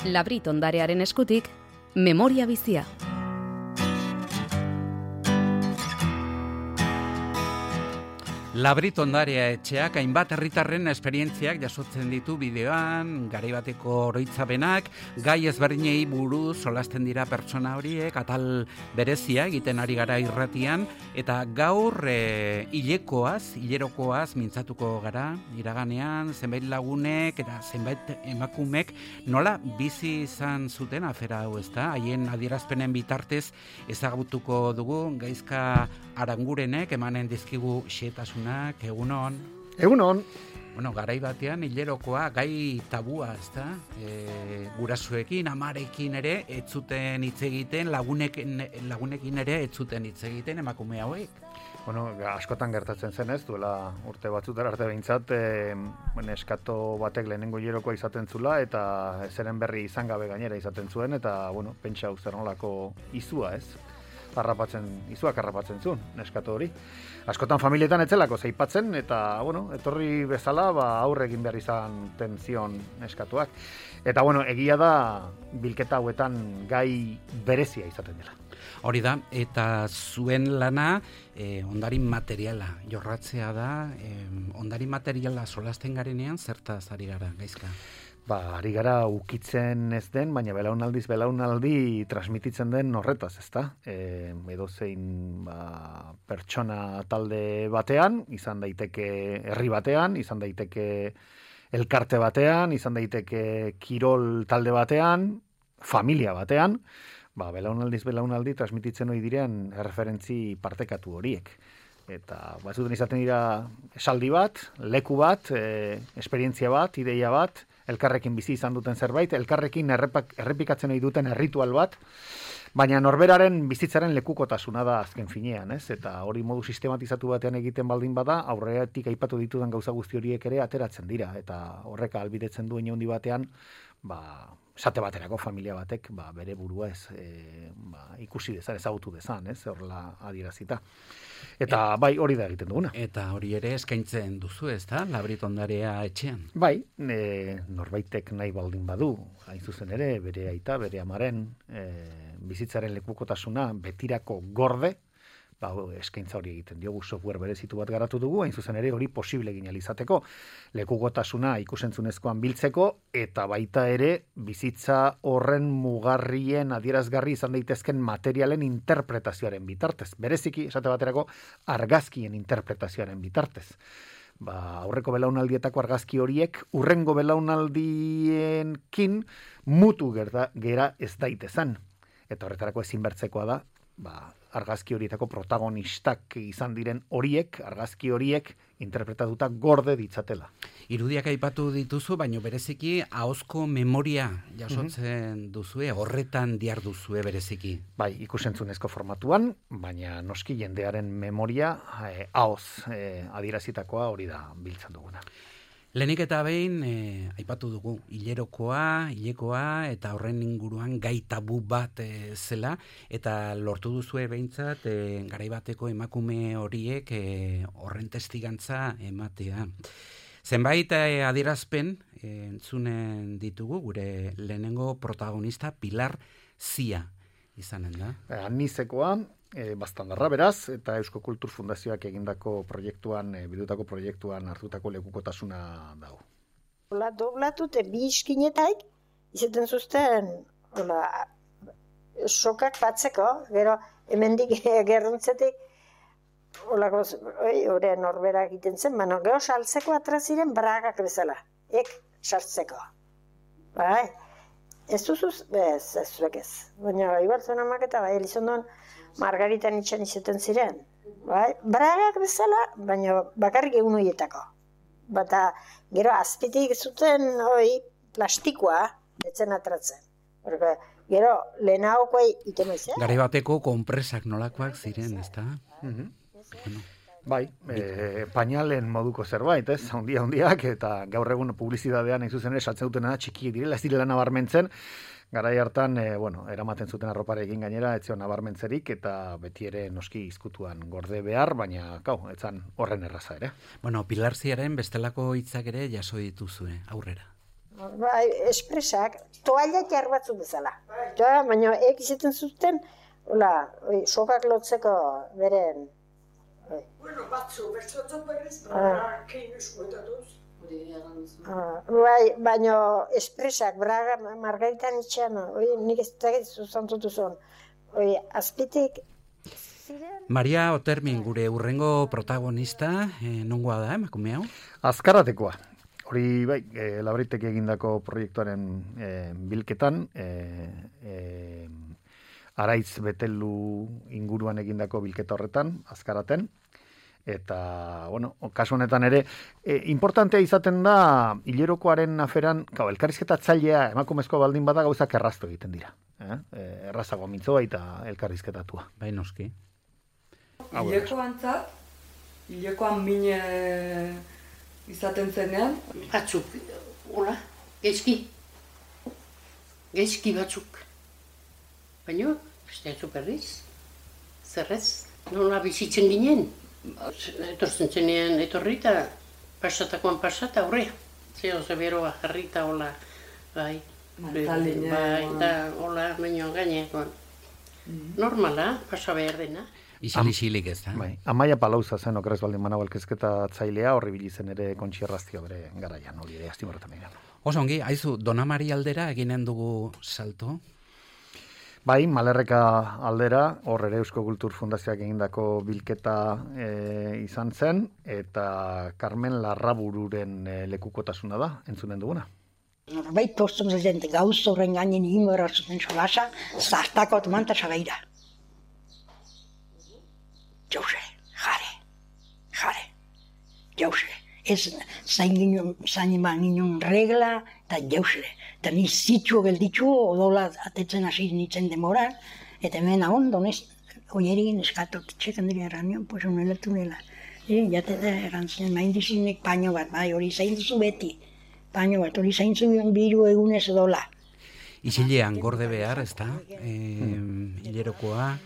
Labrit ondarearen eskutik, memoria bizia. Labrit ondarea etxeak hainbat herritarren esperientziak jasotzen ditu bideoan, garai bateko oroitzapenak, gai ezberdinei buruz solasten dira pertsona horiek, atal berezia egiten ari gara irratian, eta gaur hilerokoaz mintzatuko gara, iraganean, zenbait lagunek eta zenbait emakumek nola bizi izan zuten afera hau, ezta? Haien adierazpenen bitartez ezagutuko dugu Gaizka Arangurenek emanen dizkigu xehetasunak, egunon. Egunon. Bueno, garai batean hilerokoa gai tabua, ezta? Gurasoekin, amarekin ere ez zuten hitz egiten, lagunekin ere ez zuten hitz egiten emakume hauek. Bueno, askotan gertatzen zen ez, duela urte batzutara arte behintzat, eskato batek lehenengo hilerokoa izaten zula, eta zeren berri izan gabe gainera izaten zuen, eta, bueno, pentsa zer nolako izua ez. Izuak harrapatzen zuen, neskato hori. Askotan familietan etzelako zeipatzen, eta, bueno, etorri bezala, aurre egin behar izan tenzion neskatuak. Eta, bueno, egia da, bilketa hauetan gai berezia izaten dela. Hori da, eta zuen lana, ondarin materiala jorratzea da, ondarin materiala solasten garenean, zertaz ari gara, Gaizka? Ari gara ukitzen ez den, baina belaunaldi transmititzen den horretaz, ezta? Edozein pertsona talde batean, izan daiteke herri batean, izan daiteke elkarte batean, izan daiteke kirol talde batean, familia batean, belaunaldi transmititzen hori diren erreferentzi partekatu horiek. Eta batzuten izaten dira esaldi bat, leku bat, esperientzia bat, ideia bat, elkarrekin bizi izan duten zerbait, elkarrekin errepikatzen ohi duten erritual bat, baina norberaren bizitzaren lekukotasuna da azken finean, ez? Eta hori modu sistematizatu batean egiten baldin bada, aurretik aipatu ditudan gauza guzti horiek ere ateratzen dira, eta horrek ahalbidetzen du handi batean, esate baterako familia batek, bere burua ez, ikusi dezan, ezagutu dezan, ez? Horrela adierazita. Eta hori da egiten duguna. Eta hori ere eskaintzen duzu, ez da? Labrit ondarea etxean. Norbaitek nahi baldin badu, hain zuzen ere, bere aita, bere amaren, bizitzaren lekukotasuna betirako gorde, eskaintza hori egiten diogu, software berezitu bat garatu dugu, hain zuzen ere hori posible egin alizateko, lekukotasuna ikusentzunezkoan biltzeko, eta baita ere bizitza horren mugarrien adierazgarri izan daitezken materialen interpretazioaren bitartez. Bereziki, esate baterako, argazkien interpretazioaren bitartez. Aurreko belaunaldietako argazki horiek hurrengo belaunaldienkin mutu gera ez daitezan. Eta horretarako ezinbertzekoa da, argazki horietako protagonistak izan diren horiek, argazki horiek interpretatuta gorde ditzatela. Irudiak aipatu dituzu, baina bereziki ahozko memoria jasotzen duzue, horretan diar duzue bereziki. Ikusentzunezko formatuan, baina noski jendearen memoria ahoz adierazitakoa hori da biltzen duguna. Lehenik eta behin, aipatu dugu, hilerokoa, eta horren inguruan gai tabu bat zela, eta lortu duzue behintzat, garaibateko emakume horiek horren testigantza ematea. Zenbait adierazpen entzunen ditugu, gure lehenengo protagonista Pilar Zia izanen da. Nizekoa, bastandarra beraz, eta Eusko Kultur Fundazioak egindako proiektuan, bidutako proiektuan hartutako lekukotasuna dago. Doblatute bi iskinetaik, izaten zuzten, sokak batzeko, gero hemendik gerruntzetik, hori norbera egiten zen, gero saltzeko atraziren bragak bezala, sartzeko. Ez duzuz, ez zuek ez. Baina, ibartzen amak eta Elizondon Margarita Nitxan izaten ziren. Bragak bezala, baina bakarrik egun horietako. Bata, gero azpitik zuten plastikoa, etzen atratzen. Gero, lehenagokoa itemaizen. Garai bateko konpresak nolakoak ziren, ez da? Pañalen moduko zerbait, ez? Handiak, eta gaur egun publizidadean hain zuzen ere saltzen dutena txikiek direla, ez direla nabarmentzen, garai hartan, eramaten zuten arroparekin gainera, etzion nabarmentzerik, eta beti ere noski izkutuan gorde behar, baina, etzan horren erraza ere. Pilar Ziaren bestelako hitzak ere jaso dituzue, aurrera. Bai, espresak, toalla jar batzuk bezala. Ja, baina izaten zuten, hola, sokak lotzeko beren. Bueno, batzu, bertzotzen berriz, keinu eskuetatuz. Bai, baina espresak, Braga, Margaritan itxean, nik ez dakit zuzantutu zuen. Azpitik, ziren... Maria Otermin, gure urrengo protagonista, nongoa da, emakume hau? Azkaratekoa. Hori, bai, Labritek egindako proiektuaren bilketan, Araitz Betelu inguruan egindako bilketa horretan, Azkaraten, eta, bueno, kasu honetan ere, importantea izaten da, hilerokoaren aferan, elkarrizketa tzailea emakumezko baldin bada gauzak erraztu egiten dira. Errazago mintzoa eta elkarrizketatua. Bai, noski. Hilekoan mine izaten zenean. Batzuk, hola, gezki batzuk. Baina, beste berriz, zerrez, nola bizitzen ginen. Etortzen zenean etorri eta pasatakoan pasata aurrea. Zeo zeberoa jarrita, hola, bai. Bai, da, hola, baino gainekoan. Normala, pasa behar dena. Isilik ez da. Bai, Amaia Palauza zen okeres baldin manago elkezketa tzailea, horri bilizen ere Kontxi Erraztio bere garaian, hori ere aztimorretan egin. Oso ongi, haizu, Dona Mari aldera eginen dugu salto? Bai, Malerreka aldera, hor ere Eusko Kultur Fundazioak egindako bilketa izan zen, eta Carmen Larrabururen lekukotasuna da, entzunen duguna. Norbait postum zaten gauz horren gainen himora zuten solasa, zartako otomanta sabeira. Jauze, jare, jauze. Ez zain ginen regla, eta jauze. Eta ni zitxu gelditxu, odola atetzen hasi nintzen demora, eta hemen ahon, donez, oierin eskatot, txekan dira erranion, pues unelatu nela. Jate da errantzen, main dizinek paño bat, bai, hori zain duzu beti. Paño bat, hori zain zuen biru egunez edola. Isilean gorde behar, ez da, hilerokoa.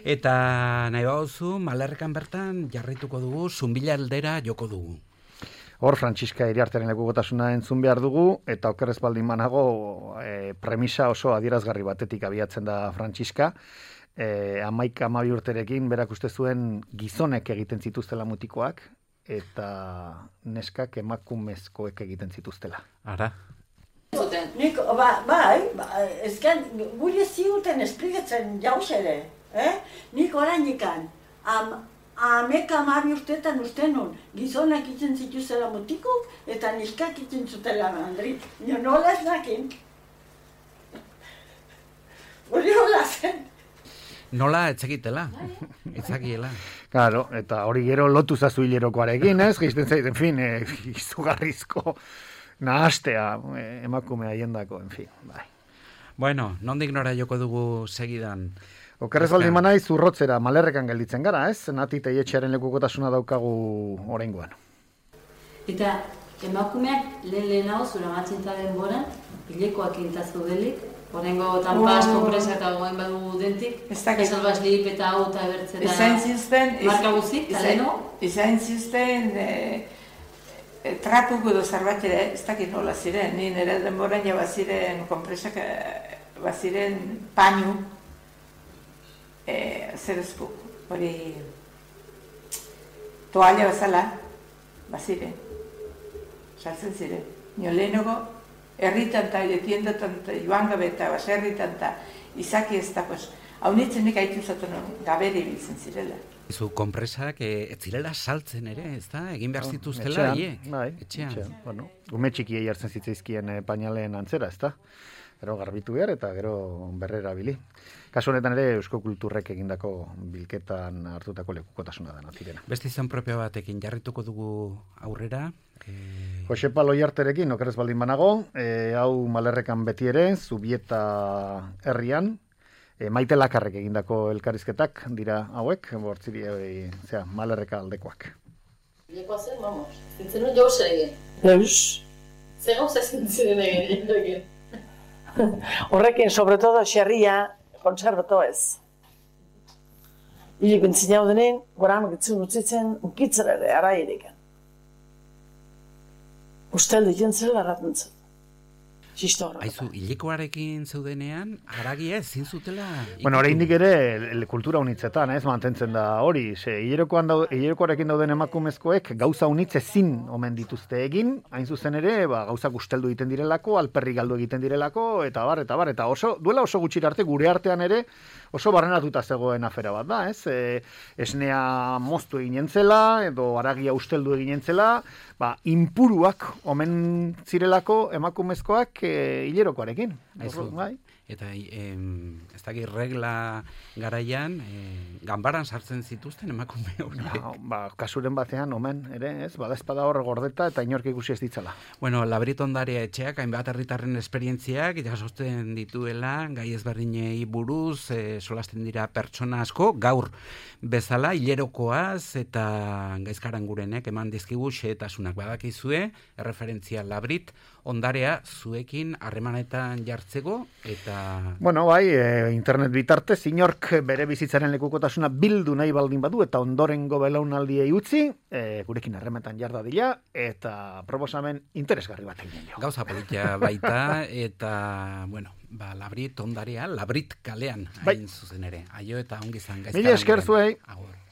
Eta nahi bauzu, Malerrekan bertan jarrituko dugu, Zunbila aldera joko dugu. Hor, Frantziska Iriartearen lekukotasuna entzun behar dugu, eta okerrez baldin manago, premisa oso adierazgarri batetik abiatzen da Frantziska. 11 urterekin, berak uste zuen gizonek egiten zituztela mutikoak, eta neskak emakumezkoek egiten zituztela. Ara? Nik, bai, ezken, gure ziuten esplikatzen jauz ere. Nik orainikan, 11 urteetan uste nun, gizonak itzen zituzela mutikuk eta neskak itzen zutela mandrik. Nio nola ez nakin. Hori hola zen. Nola etzekitela, etzakiela. Claro, eta hori gero lotu zazu hilerokoarekin, ez? Geizten zait, en fin, izugarrizko nahastea emakumea jendako, en fin, bai. Bueno, nondik nora joko dugu segidan? Okerrez baldin manaiz urrotzera Malerrekan gelditzen gara, ez? Nati Teietxearen lekukotasuna daukagu oraingoan. Eta emakumeak lehenago zura matzintza denboran, hilekoak intazu delik, oraingo tanpas, konpresa eta goen badu dentik, esalbaz lip eta hau eta ebertzeta marka guzik, taleno? Izan zizten trapuko edo zerbait ere, ez dakit nola ziren, ni nire denboran ja baziren konpresak, baziren painu, zerezko, hori toalla bezala, baziren, saltzen ziren. Nio lehenago, herritan eta tiendatan eta joan gabe eta baserritan eta izaki ez da, pues, hau nitzenek haitu zaten gabere ibiltzen zirela. Zu konpresak ez zirela saltzen ere, ez da? Egin behar zituztela, etxean. Bueno, gume txikiei hartzen zitzaizkien painaleen antzera, ez da? Gero garbitu behar eta gero berrera bili. Kasu honetan ere Eusko Kulturrek egindako bilketan hartutako lekukotasuna da natirena. Beste izan propio batekin jarrituko dugu aurrera. Josepa Loiarterekin, okerrez baldin banago, hau Malerrekan beti ere, Zubieta herrian, Maite Lakarrek egindako elkarrizketak dira hauek, bortziri Malerreka aldekoak. Lekoa zen, vamos, zintzen un jauz egin. Eus. Zer gauza zintzen egin. Horrekin, sobre todo, xerria, konservato ez. Hilik entzin hau denen, goran gitzun utzitzen, ukitzen ere, ara iriken. Ustel diken zela erraten zen. Zistor. Aizu, hilekoarekin zeudenean, haragia ezin zutela... Bueno, oraindik ere kultura unitzetan, ez mantentzen da hori. Hilekoarekin dauden emakumezkoek gauza unitz ezin omen dituzte egin, hain zuzen ere, gauzak usteldu egiten direlako, alperri galdu egiten direlako, eta duela oso gutxi arte gure artean ere oso barrenatuta zegoen afera bat da, ez? Esnea moztu egin zela, edo haragia usteldu egin zela, inpuruak omen zirelako emakumezkoak hilerokoarekin. Bai? Eta ez dakit regla garaian, ganbaran sartzen zituzten emakume hori. Kasuren batean, omen, ere, ez? Bada espada hor gordeta eta inork ikusi ez ditzala. Bueno, Labrit Ondarea etxeak, hainbat herritarren esperientziak, jasotzen dituela, gai ezberdinei buruz, solasten dira pertsona asko, gaur bezala, hilerokoaz eta gaizkarangurenek eman dizkigu xehetasunak badakizue, erreferentzia Labrit Ondarea zuekin harremanetan jartzeko eta... Bueno, bai, internet bitartez, inork bere bizitzaren lekukotasuna bildu nahi baldin badu eta ondorengo belaunaldiei utzi, gurekin harremanetan jar dadila eta proposamen interesgarri bat egin jo. Gauza politia baita eta, bueno, Labrit Ondarea, Labrit kalean, hain zuzen ere. Aio eta ongi zan gaizkaran. Mila esker zuei. Agur.